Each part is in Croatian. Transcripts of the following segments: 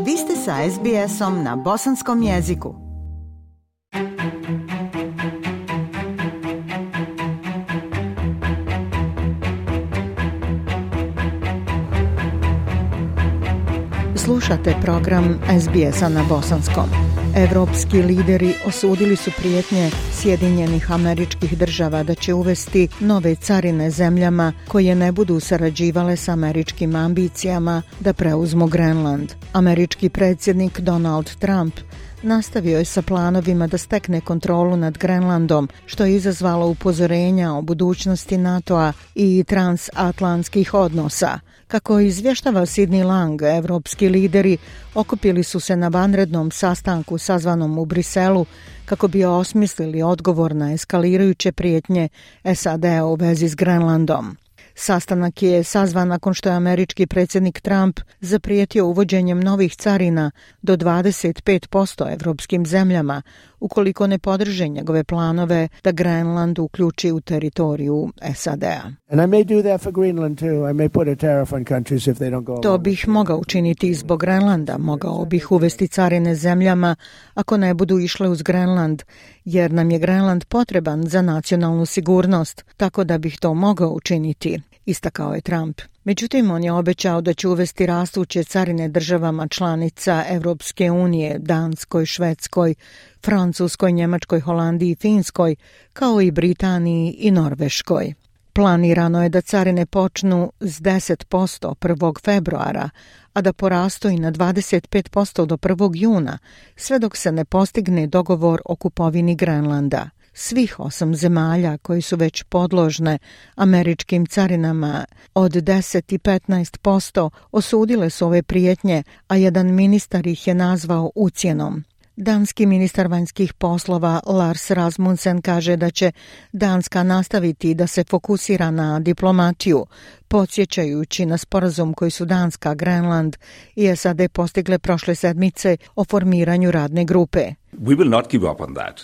Vi ste sa SBS-om na bosanskom jeziku. Slušate program SBS-a na bosanskom. Evropski lideri osudili su prijetnje Sjedinjenih Američkih Država da će uvesti nove carine zemljama koje ne budu sarađivale s američkim ambicijama da preuzmu Grenland. Američki predsjednik Donald Trump nastavio je sa planovima da stekne kontrolu nad Grenlandom, što je izazvalo upozorenja o budućnosti NATO-a i transatlantskih odnosa. Kako izvještava Sidney Lang, evropski lideri okupili su se na vanrednom sastanku sazvanom u Briselu kako bi osmislili odgovor na eskalirajuće prijetnje SAD-a u vezi s Grenlandom. Sastanak je sazvan nakon što je američki predsjednik Trump zaprijetio uvođenjem novih carina do 25% evropskim zemljama ukoliko ne podrže njegove planove da Grenland uključi u teritoriju SAD-a. To bih mogao učiniti zbog Grenlanda, mogao bih uvesti carine zemljama ako ne budu išle uz Grenland, jer nam je Grenland potreban za nacionalnu sigurnost, tako da bih to mogao učiniti, istakao je Trump. Međutim, on je obećao da će uvesti rastuće carine državama članica Evropske unije, Danskoj, Švedskoj, Francuskoj, Njemačkoj, Holandiji i Finskoj, kao i Britaniji i Norveškoj. Planirano je da carine počnu s 10% 1. februara, a da porastu i na 25% do 1. juna, sve dok se ne postigne dogovor o kupovini Grenlanda. Svih 8 zemalja koji su već podložne američkim carinama od 10 i 15% osudile su ove prijetnje, a jedan ministar ih je nazvao ucjenom. Danski ministar vanjskih poslova Lars Rasmussen kaže da će Danska nastaviti da se fokusira na diplomatiju, podsjećajući na sporazum koji su Danska, Grenland i SAD postigle prošle sedmice o formiranju radne grupe. We will not give up on that.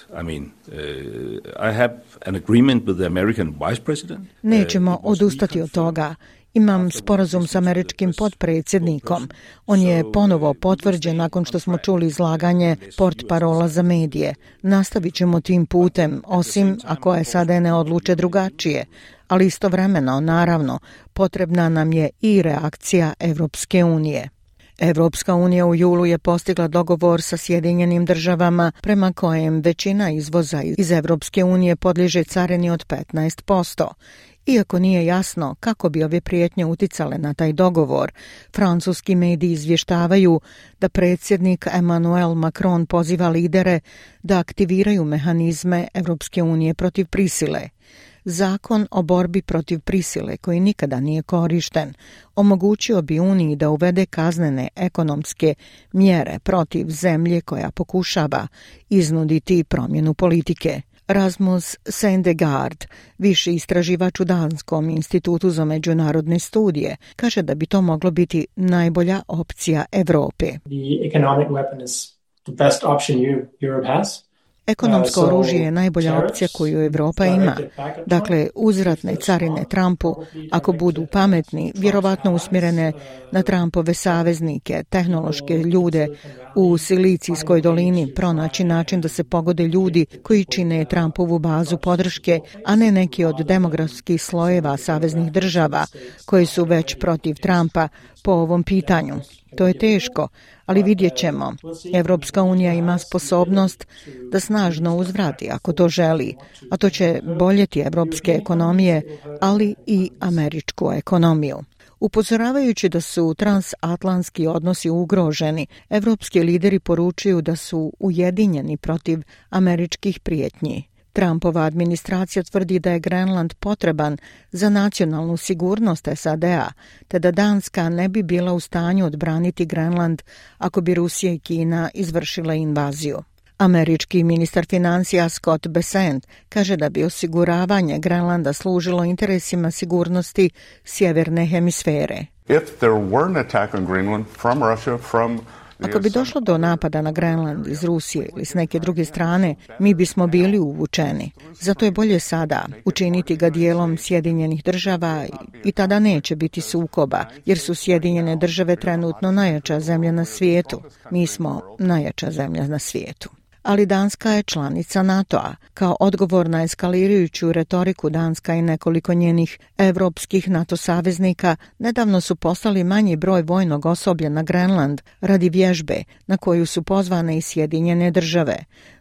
I have an agreement with the American vice president. Nećemo odustati od toga. Imam sporazum s američkim potpredsjednikom. On je ponovo potvrđen nakon što smo čuli izlaganje portparola za medije. Nastavit ćemo tim putem, osim ako SAD ne odluče drugačije. Ali istovremeno, naravno, potrebna nam je i reakcija Evropske unije. Evropska unija u julu je postigla dogovor sa Sjedinjenim Državama prema kojem većina izvoza iz Evropske unije podliježe carini od 15%. Iako nije jasno kako bi ove prijetnje uticale na taj dogovor, francuski mediji izvještavaju da predsjednik Emmanuel Macron poziva lidere da aktiviraju mehanizme Evropske unije protiv prisile. Zakon o borbi protiv prisile, koji nikada nije korišten, omogućio bi Uniji da uvede kaznene ekonomske mjere protiv zemlje koja pokušava iznuditi promjenu politike. Rasmus Sendegard, viši istraživač u Danskom institutu za međunarodne studije, kaže da bi to moglo biti najbolja opcija Europe. Ekonomsko oružje je najbolja opcija koju Europa ima. Dakle, uzvratne carine Trumpu, ako budu pametni, vjerovatno usmjerene na Trumpove saveznike, tehnološke ljude u Silicijskoj dolini, pronaći način da se pogode ljudi koji čine Trumpovu bazu podrške, a ne neki od demografskih slojeva saveznih država koji su već protiv Trumpa po ovom pitanju. To je teško, ali vidjet ćemo. Evropska unija ima sposobnost da snažno uzvrati ako to želi, a to će boljeti evropske ekonomije, ali i američku ekonomiju. Upozoravajući da su transatlantski odnosi ugroženi, evropski lideri poručuju da su ujedinjeni protiv američkih prijetnji. Trumpova administracija tvrdi da je Grenland potreban za nacionalnu sigurnost SAD-a, te da Danska ne bi bila u stanju odbraniti Grenland ako bi Rusija i Kina izvršile invaziju. Američki ministar financija Scott Bessent kaže da bi osiguravanje Grenlanda služilo interesima sigurnosti sjeverne hemisfere. If there were an attack on Greenland from Russia, from Ako bi došlo do napada na Grenland iz Rusije ili s neke druge strane, mi bismo bili uvučeni. Zato je bolje sada učiniti ga dijelom Sjedinjenih država i tada neće biti sukoba, jer su Sjedinjene države trenutno najjača zemlja na svijetu. Mi smo najjača zemlja na svijetu. Ali Danska je članica NATO-a. Kao odgovor na eskalirajuću retoriku Danska i nekoliko njenih evropskih NATO saveznika nedavno su poslali manji broj vojnog osoblja na Grenland radi vježbe na koju su pozvane i Sjedinjene države.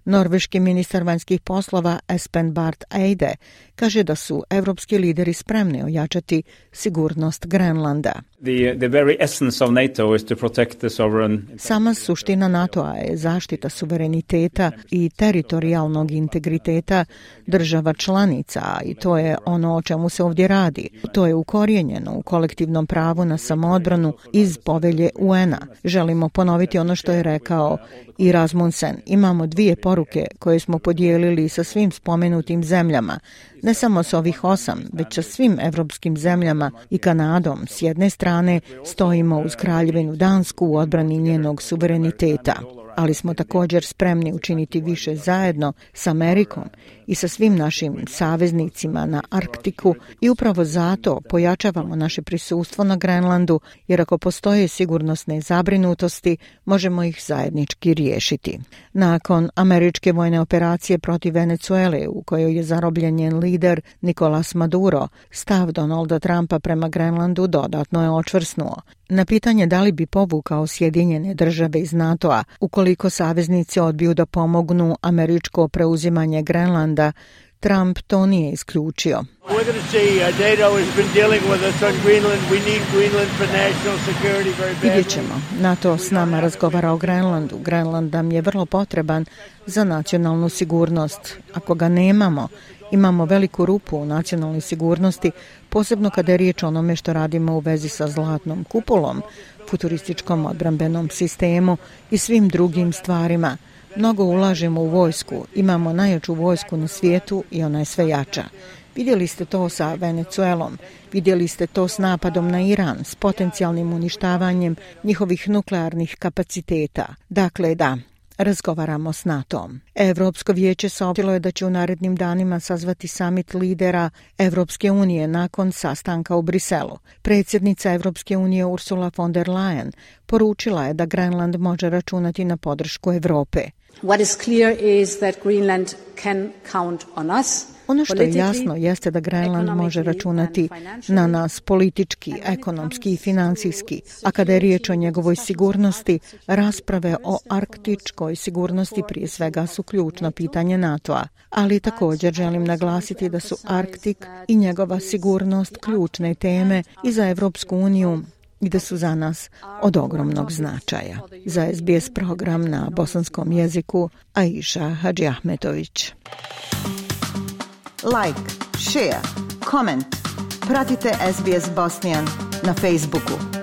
Norveški ministar vanjskih poslova Espen Barth Eide kaže da su evropski lideri spremni ojačati sigurnost Grenlanda. Sama suština NATO-a je zaštita suvereniteta i teritorijalnog integriteta država članica i to je ono o čemu se ovdje radi. To je ukorijenjeno u kolektivnom pravu na samoodbranu iz povelje UN-a. Želimo ponoviti ono što je rekao i Rasmussen. Imamo 2 poruke koje smo podijelili sa svim spomenutim zemljama, ne samo s ovih 8, već sa svim evropskim zemljama i Kanadom. S jedne strane stojimo uz Kraljevinu Dansku u odbrani njenog suvereniteta, ali smo također spremni učiniti više zajedno s Amerikom i sa svim našim saveznicima na Arktiku i upravo zato pojačavamo naše prisustvo na Grenlandu, jer ako postoje sigurnosne zabrinutosti, možemo ih zajednički riješiti. Nakon američke vojne operacije protiv Venezuele, u kojoj je zarobljen njen lider Nicolas Maduro, stav Donalda Trumpa prema Grenlandu dodatno je očvrsnuo. Na pitanje da li bi povukao Sjedinjene države iz NATO-a ukoliko saveznici odbiju da pomognu američko preuzimanje Grenlanda, Trump to nije isključio. Vidjet ćemo. NATO s nama razgovara o Grenlandu. Grenland nam je vrlo potreban za nacionalnu sigurnost. Ako ga nemamo, imamo veliku rupu u nacionalnoj sigurnosti, posebno kada je riječ o onome što radimo u vezi sa zlatnom kupolom, futurističkom odbrambenom sistemu i svim drugim stvarima. Mnogo ulažemo u vojsku, imamo najjaču vojsku na svijetu i ona je sve jača. Vidjeli ste to sa Venezuelom, vidjeli ste to s napadom na Iran, s potencijalnim uništavanjem njihovih nuklearnih kapaciteta. Dakle, da, razgovaramo s NATO-om. Evropsko vijeće saopćilo je da će u narednim danima sazvati samit lidera Evropske unije nakon sastanka u Briselu. Predsjednica Evropske unije Ursula von der Leyen poručila je da Grenland može računati na podršku Europe. What is clear is that Greenland can count on us. Ono što je jasno jeste da Grenland može računati na nas politički, ekonomski i financijski, a kada je riječ o njegovoj sigurnosti, rasprave o arktičkoj sigurnosti prije svega su ključno pitanje NATO-a. Ali također želim naglasiti da su Arktik i njegova sigurnost ključne teme i za Evropsku uniju i da su za nas od ogromnog značaja. Za SBS program na bosanskom jeziku Aisha Hadžiahmetović. Like, share, comment. Pratite SBS Bosnian na Facebooku.